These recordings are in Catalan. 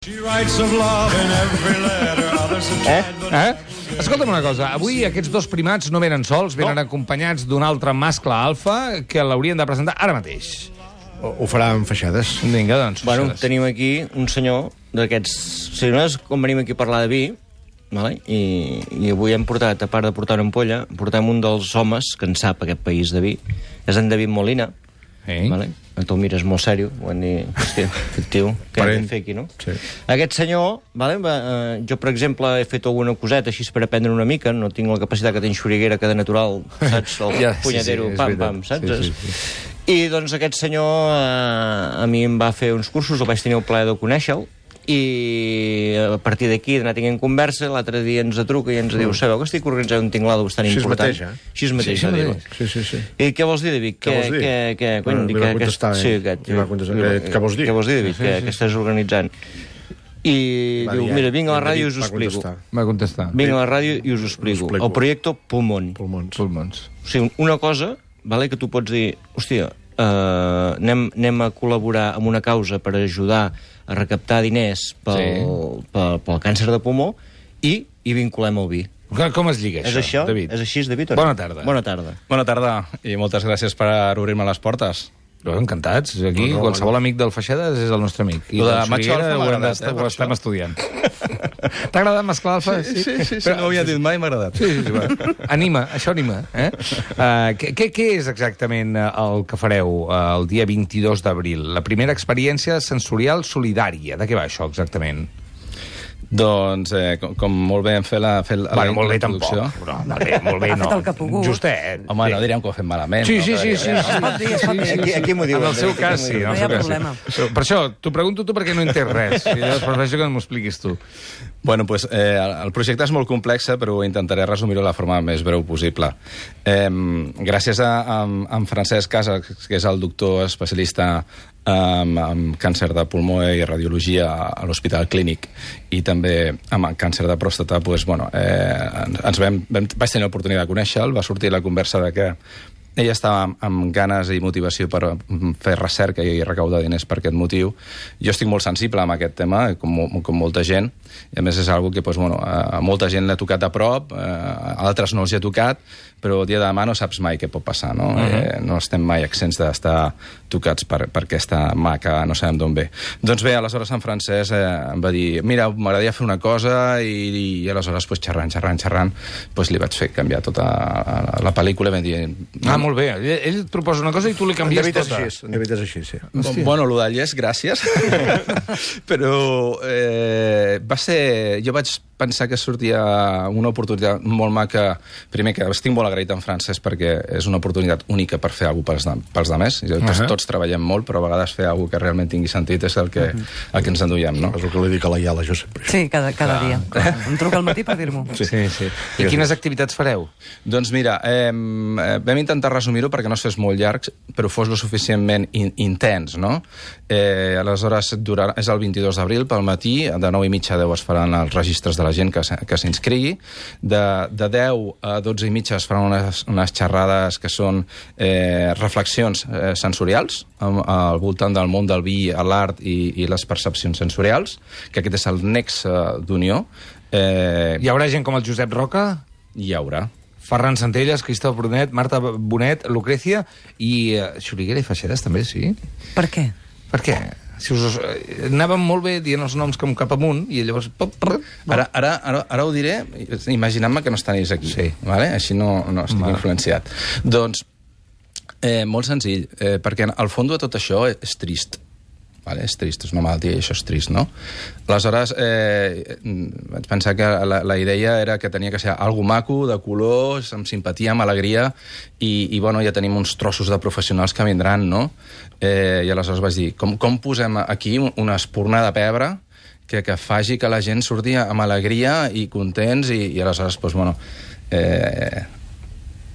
Escolta'm una cosa, avui aquests dos primats no venen sols, venen acompanyats d'un altre mascle alfa que l'haurien de presentar ara mateix. Ho farà amb feixades. Vinga, doncs. Bueno, feixades. tenim aquí un senyor d'aquests... Si no és com venim aquí a parlar de vi, vale? I avui hem portat, a part de portar una ampolla, portem un dels homes que en sap aquest país de vi. És en David Molina. Vale? Tu mires molt sèrio, ho han dit, hòstia, aquest tio, què hem de fer aquí, no? Sí. Aquest senyor, vale? Jo, per exemple, he fet alguna coseta així per aprendre una mica, no tinc la capacitat que tinc Xuriguera, que de natural, saps? El punyetero, pam, saps? I doncs aquest senyor a mi em va fer uns cursos, el vaig tenir el plaer de conèixer-lo, i a partir d'aquí d'anar tinguent conversa, l'altre dia ens truca i ens diu, sabeu que estic organitzant un tinglado bastant important? Així mateix, Sí. I què vols dir, David? Què vols dir? Li va contestar, què vols dir? Què vols dir, David? Què estàs organitzant? I diu, mira, vinc a la ràdio i us ho explico. Va contestar. Vinc a la ràdio i us ho explico. El projecte Pulmón. Pulmons. O sigui, una cosa, vale, que tu pots dir, hòstia, anem a col·laborar amb una causa per ajudar a recaptar diners pel càncer de pulmó i vinculem el vi. Com es lliga això, És això? David? És així, David? Bona tarda. Bona tarda. Bona tarda i moltes gràcies per obrir-me les portes. Encantats. Aquí qualsevol amic del Feixedes és el nostre amic. I Lo de del macho Xuriguera alfa m'ha agradat, ho estem estudiant. T'ha agradat mesclar alfa? Sí, no ho havia dit mai, m'ha agradat. Sí, va. Anima, això anima. Què és exactament el que fareu el dia 22 d'abril? La primera experiència sensorial solidària. De què va això exactament? Doncs, com molt bé hem fet la Molt bé introducció. tampoc. No, molt bé no. Ha fet el que ha pogut. Justet. Home, no direm que ho fem malament. Sí. Es pot dir. Aquí m'ho diuen. En el seu cas, sí. No hi ha problema. Per això, t'ho pregunto tu perquè no entens res. I llavors prefereixo que m'ho expliquis tu. Bueno, pues, el projecte és molt complex, però intentaré resumir-ho de la forma més breu possible. Gràcies a en Francesc Casas, que és el doctor especialista amb càncer de pulmó i radiologia a l'Hospital Clínic i també amb càncer de pròstata, doncs, bueno, vaig tenir l'oportunitat de conèixer-lo, va sortir la conversa de que ella estava amb ganes i motivació per fer recerca i recaudar diners per aquest motiu. Jo estic molt sensible amb aquest tema, com molta gent, i a més és una que a molta gent l'ha tocat de prop, a altres no els hi ha tocat, però el dia de demà no saps mai què pot passar, no? No estem mai exents d'estar tocats per aquesta mà que no sabem d'on ve. Doncs bé, aleshores en Francesc em va dir, mira, m'agradaria fer una cosa, i aleshores, xerrant, li vaig fer canviar tota la pel·lícula i vam dir... Molt bé. Ell et proposa una cosa i tu li canvies tota. En David és així, sí. Bueno, lo d'allà és gràcies, però va ser... Jo vaig pensar que sortia una oportunitat molt maca. Primer, que estic molt agraït en Francesc perquè és una oportunitat única per fer alguna cosa pels demés. Tots treballem molt, però a vegades fer alguna cosa que realment tingui sentit és el que ens enduiem, no? És el que li dic a la Iala, jo sempre. Sí, cada dia. Em truca al matí per dir-m'ho. Sí. I quines activitats fareu? Doncs mira, vam intentar resumir-ho perquè no es fes molt llarg, però fos lo suficientment intens, no? Aleshores, és el 22 d'abril, pel matí, de 9:30 a 10 es faran els registres de la gent que s'inscrigui. De 10 a 12:30 es faran unes xerrades que són reflexions sensorials al voltant del món del vi, l'art i les percepcions sensorials, que aquest és el nexe d'unió. Hi haurà gent com el Josep Roca? Hi haurà. Ferran Centelles, Cristóf Brunet, Marta Bonet, Lucrecia i Xuriguera i Feixedes també, sí? Per què? Per què? Si anàvem molt bé dient els noms com cap amunt i llavors... Ara ho diré imaginant-me que no estanis aquí, vale? Així no estic influenciat. Doncs, molt senzill, perquè al fons de tot això és trist. Vale? És trist, és una malaltia i això és trist, no? Aleshores, vaig pensar que la idea era que tenia que ser algo maco, de colors, amb simpatia, amb alegria, i bueno, ja tenim uns trossos de professionals que vindran, no? I aleshores vaig dir, com posem aquí una espurna de pebre que faci que la gent surti amb alegria i contents, i aleshores, doncs, bueno,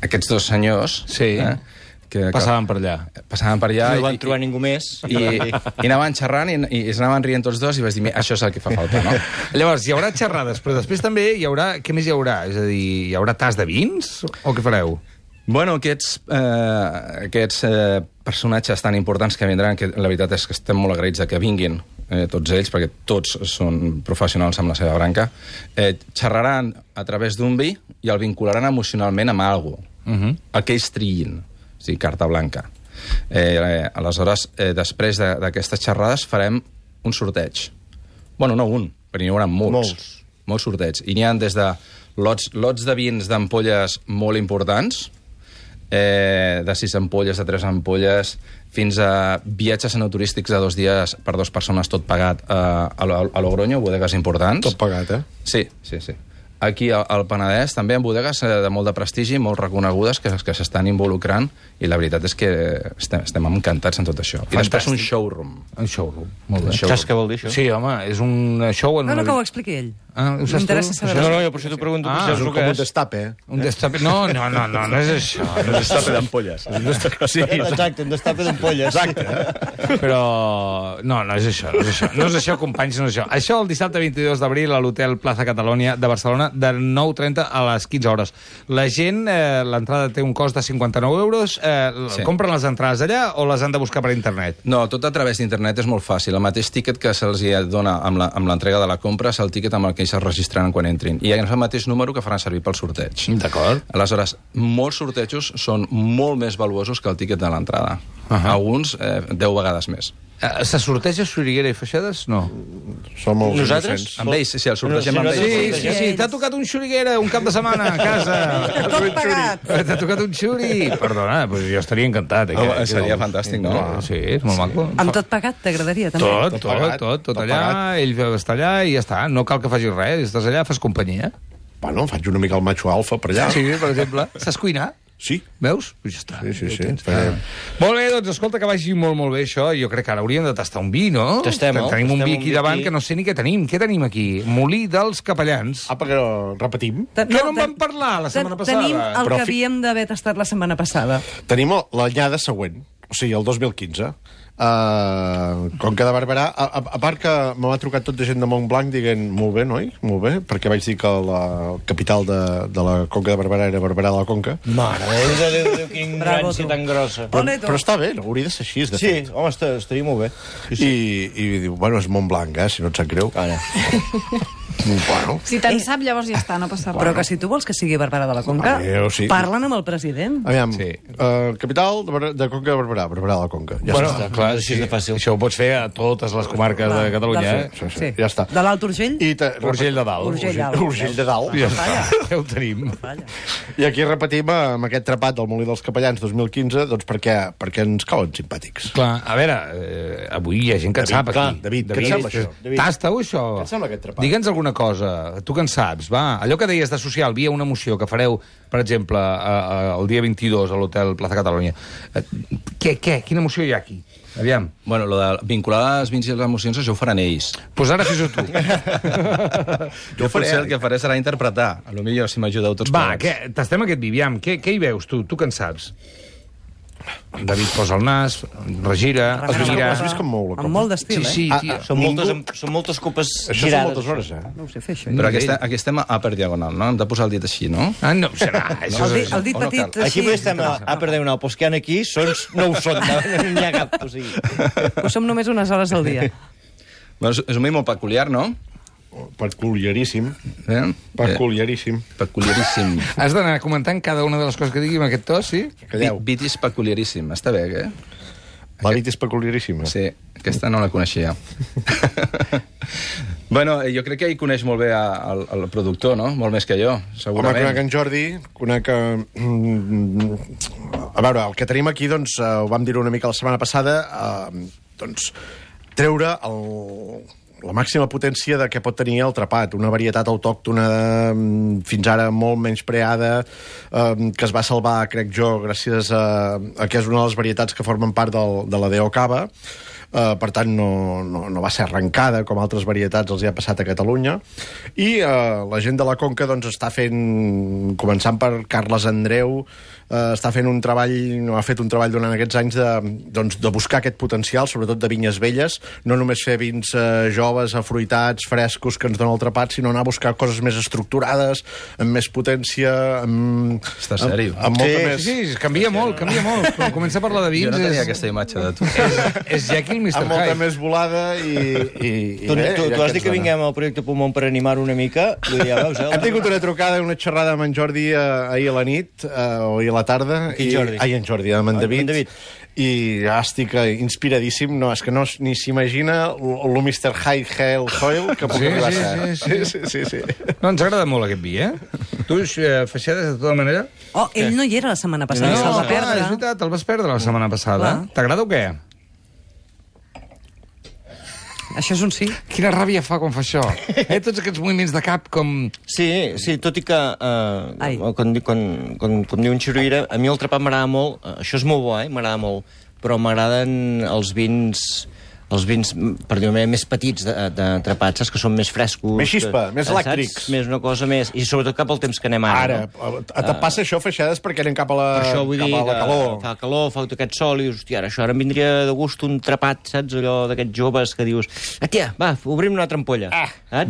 aquests dos senyors... Sí. Passaven per allà. No van trobar ningú més. I anaven xerrant i s'anaven rient tots dos i vaig dir, això és el que fa falta, no? Llavors, hi haurà xerrades, però després també hi haurà... Què més hi haurà? És a dir, hi haurà tas de vins? O què fareu? Bueno, aquests personatges tan importants que vindran, que la veritat és que estem molt agraïts de que vinguin, tots ells, perquè tots són professionals amb la seva branca, xerraran a través d'un vi i el vincularan emocionalment amb alguna cosa, el que ells trillin, o sigui, carta blanca. Aleshores, després d'aquestes xerrades farem un sorteig. Bueno, no un, però n'hi haurà molts sorteigs. I n'hi ha des de lots de vins d'ampolles molt importants, de 6 ampolles, de 3 ampolles, fins a viatges enoturístics de 2 dies per 2 persones, tot pagat a Logroño, bodegues importants. Tot pagat, eh? Sí. Aquí al Penedès també en bodegues de molt de prestigi, molt reconegudes, que s'estan involucrant, i la veritat és que estem encantats en tot això. I després un showroom. Un showroom, molt bé. Saps què vol dir, això? Sí, home, és un show... No, que ho expliqui ell. M'interessa saber. No, jo per això t'ho pregunto. És com un destape. Un destape... No és això. Un destape d'ampolles. Sí, exacte, un destape d'ampolles. Exacte. Però... No és això. No és això, companys, no és això. Això el dissabte 22 d'abril a l'Hotel Plaza Catalunya de Barcelona, de 9:30 a les 15 hores. La gent, l'entrada té un cost de 59 euros. Compren les entrades allà o les han de buscar per internet? No, tot a través d'internet és molt fàcil. El mateix tíquet que se'ls dona amb l'entrega de la compra és el tíquet amb el que ells es registraran quan entrin. I és el mateix número que faran servir pel sorteig. D'acord. Aleshores, molts sortejos són molt més valuosos que el tíquet de l'entrada. Alguns 10 vegades més. Se sorteja Xuriguera i Feixedes? No. Som molt Nosaltres? innocents. Amb ells, sí, el sortegem amb ells. Sí, t'ha tocat un Xuriguera un cap de setmana a casa. Tot pagat. T'ha tocat un xuri. Perdona, doncs jo estaria encantat. Seria fantàstic, no? Sí, és molt maco. Amb tot pagat t'agradaria, també? Tot allà, ell està allà i ja està. No cal que facis res, estàs allà, fas companyia. Bueno, faig una mica el macho alfa per allà. Sí, per exemple. Saps cuinar? Sí. Veus? Pues ja està. Sí. Molt bé, doncs escolta, que vagi molt bé això. Jo crec que ara hauríem de tastar un vi, no? Tenim un vi aquí davant que no sé ni què tenim. Què tenim aquí? Molí dels Capellans. Apa, que repetim. Que no en vam parlar la setmana passada. Tenim el que havíem d'haver tastat la setmana passada. Tenim l'anyada següent, o sigui, el 2015. Conca de Barberà, a part que m'ha trucat tot de gent de Montblanc dient, molt bé, noi, molt bé, perquè vaig dir que la capital de la Conca de Barberà era Barberà de la Conca. Mare Déu, quin gràcia tan grossa. Però està bé, no? Hauria de ser així, de fet. Sí, home, estaria molt bé. I diu, bueno, és Montblanc, si no et sap greu. Bueno. Si te'n sap, llavors ja està, no passa res. Però que si tu vols que sigui Barberà de la Conca, sí. Parlen amb el president. Aviam, capital de Conca de Barberà, Barberà de la Conca. Ja està. Clar, així de fàcil. Això ho pots fer a totes les comarques de Catalunya, Sí, ja està. De l'Alt Urgell? Urgell de Dalt. Urgell de Dalt. Ja està, ja ho tenim. I aquí repetim amb aquest trepat del Molí dels Capellans 2015, doncs perquè ens cauen simpàtics. Clar, a veure, avui hi ha gent que en sap aquí. David, què et sembla això? Tasta-ho, això. Què et sembla aquest trepat? Digue'ns alguna cosa, tu que en saps, va. Allò que deies d'associar el vi a una emoció que fareu, per exemple, el dia 22 a l'Hotel Plaza Catalunya. Quina emoció hi ha aquí? Aviam. Bueno, lo de vincular els vins i les emocions, això ho faran ells. Doncs ara fes-ho tu. Jo potser el que faré serà interpretar. A lo millor si m'ajudeu tots plegats. Va, tastem aquest vi, aviam. Què hi veus, tu? Tu que en saps? David posa el nas, regira, mira... Has vist com mou la copa? Amb molt d'estil, Sí, tio. Són moltes copes Això són girades. moltes hores, No ho sé fer, això. Però aquí estem a per diagonal, no? Hem de posar el dit així, no? No, serà. El dit petit... Aquí potser estem a per diagonal, però els que hi ha aquí no ho són, no n'hi ha cap. O sigui. Ho som només unes hores al dia. Bueno, és un vi molt peculiar, no? Peculiaríssim. Peculiaríssim. Peculiaríssim. Has d'anar comentant cada una de les coses que digui amb aquest to, sí? Calleu. Vitis peculiaríssim. Està bé, eh? La nit és peculiaríssima. Sí, aquesta no la coneixia. Bueno, jo crec que ell coneix molt bé el productor, no? Molt més que jo, segurament. Home, conec en Jordi, conec... A veure, el que tenim aquí, doncs, ho vam dir una mica la setmana passada, doncs, treure la màxima potència de què pot tenir el trapat, una varietat autòctona fins ara molt menyspreada, que es va salvar, crec jo, gràcies a que és una de les varietats que formen part de la DO Cava. Per tant, no va ser arrencada com altres varietats els hi ha passat a Catalunya. I la gent de la Conca doncs, està fent, començant per Carles Andreu, està fent un treball, ha fet un treball durant aquests anys de buscar aquest potencial, sobretot de vinyes velles, no només fer vins joves, afruitats, frescos, que ens donen el trapat, sinó anar a buscar coses més estructurades, amb més potència, Està sèrio? amb molta més... Sí, canvia molt. Quan comença a parlar de vins... Jo no tenia aquesta imatge de tu. És Jekyll Mr. amb molta Hyde. més volada i Tu has dit que vinguem al projecte Pulmón per animar una mica. Ja veus, Hem tingut una trucada, una xerrada amb en Jordi ahir a la nit, o ahir a la tarda. Quin Jordi? Ai, en Jordi, amb en David. En David. I ja estic inspiradíssim. No, és que no ni s'imagina el Mr. High Hell Soil que puc arribar a ser. Sí. No, ens agrada molt aquest vi, eh? Tu, Feixedes, de tota manera? Oh, ell no hi era la setmana passada, se'l va és perdre. veritat, el vas perdre la setmana passada. Clar. T'agrada o què? Això és un sí. Quina ràbia fa quan fa això. Tots aquests moviments de cap com... Sí, tot i que quan diu en Xiruïra, a mi el trepat m'agrada molt, això és molt bo, m'agrada molt, però m'agraden els vins, per dir-ho més petits de trepat, saps? Que són més frescos. Més xispa, més saps? elèctrics. Més una cosa més... I sobretot cap al temps que anem ara. Te passa això, Feixedes, perquè anem cap a la, Per això vull dir cap a la calor. Fa calor, fa tot aquest sol, i dius, hòstia, això ara em vindria de gust un trepat, saps? Allò d'aquests joves que dius, tia, va, obrim una altra ampolla.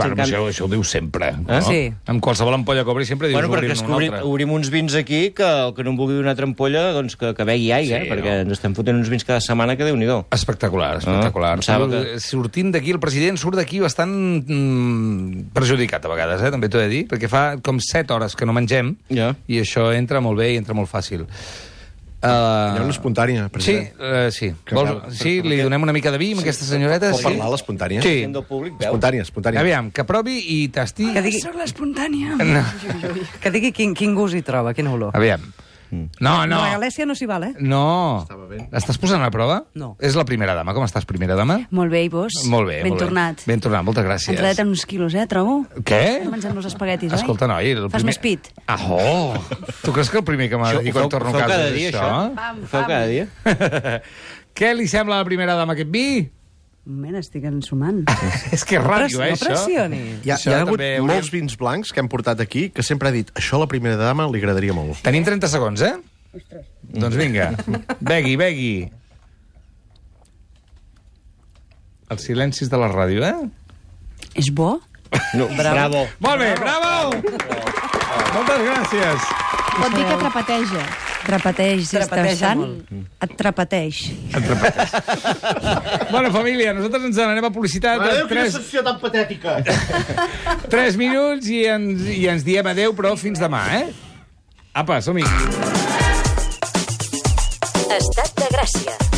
Bueno, això ho diu sempre. No? Sí. Amb qualsevol ampolla que obri sempre dius Bueno, perquè obrim una altra. obrim uns vins aquí que el que no em vulgui una altra ampolla, doncs que begui aigua, perquè ens estem fotent uns vins cada setmana que Déu-n'hi-do. Espectacular. Pensava que... Sortint d'aquí, el president surt d'aquí bastant perjudicat a vegades, també t'ho he de dir, perquè fa com 7 hores que no mengem, i això entra molt bé i entra molt fàcil. Hi ha una espontània, president. Sí, li donem una mica de vi a aquesta senyoreta? Pot parlar l'espontània? Sí. Espontània. Aviam, que provi i tasti... Que digui... Soc l'espontània. No. Que digui quin gust hi troba, quina olor. Aviam. No. La Galècia no s'hi val, No. Estàs posant a prova? No. És la primera dama. Com estàs, primera dama? Molt bé, i vos? Molt bé. Ben tornat. Ben tornat, moltes gràcies. Entradet en uns quilos, trobo? Què? Mengem-nos espaguetis, oi? Escolta, noi... Fas més pit. Tu creus que el primer que m'ha de dir quan torno a casa cada és dia, això? Ho feu cada dia? Què li sembla a la primera dama aquest vi? Un moment, estic ensumant. És que és ràdio, No això. pressioni. Hi ha hagut molts vins blancs que hem portat aquí que sempre ha dit això a la primera dama li agradaria molt. Tenim 30 segons, Doncs vinga, begui. Els silencis de la ràdio, És bo? No, bravo. Molt bé, bravo! Moltes gràcies. Pot dir que trapateja. Trapateix, si estàs sant, et trapateix. Bueno, família, nosaltres ens n'anem a publicitat. Quina secció tan patètica! 3 minuts i ens diem adeu, però fins demà, Apa, som-hi. Estat de Gràcia.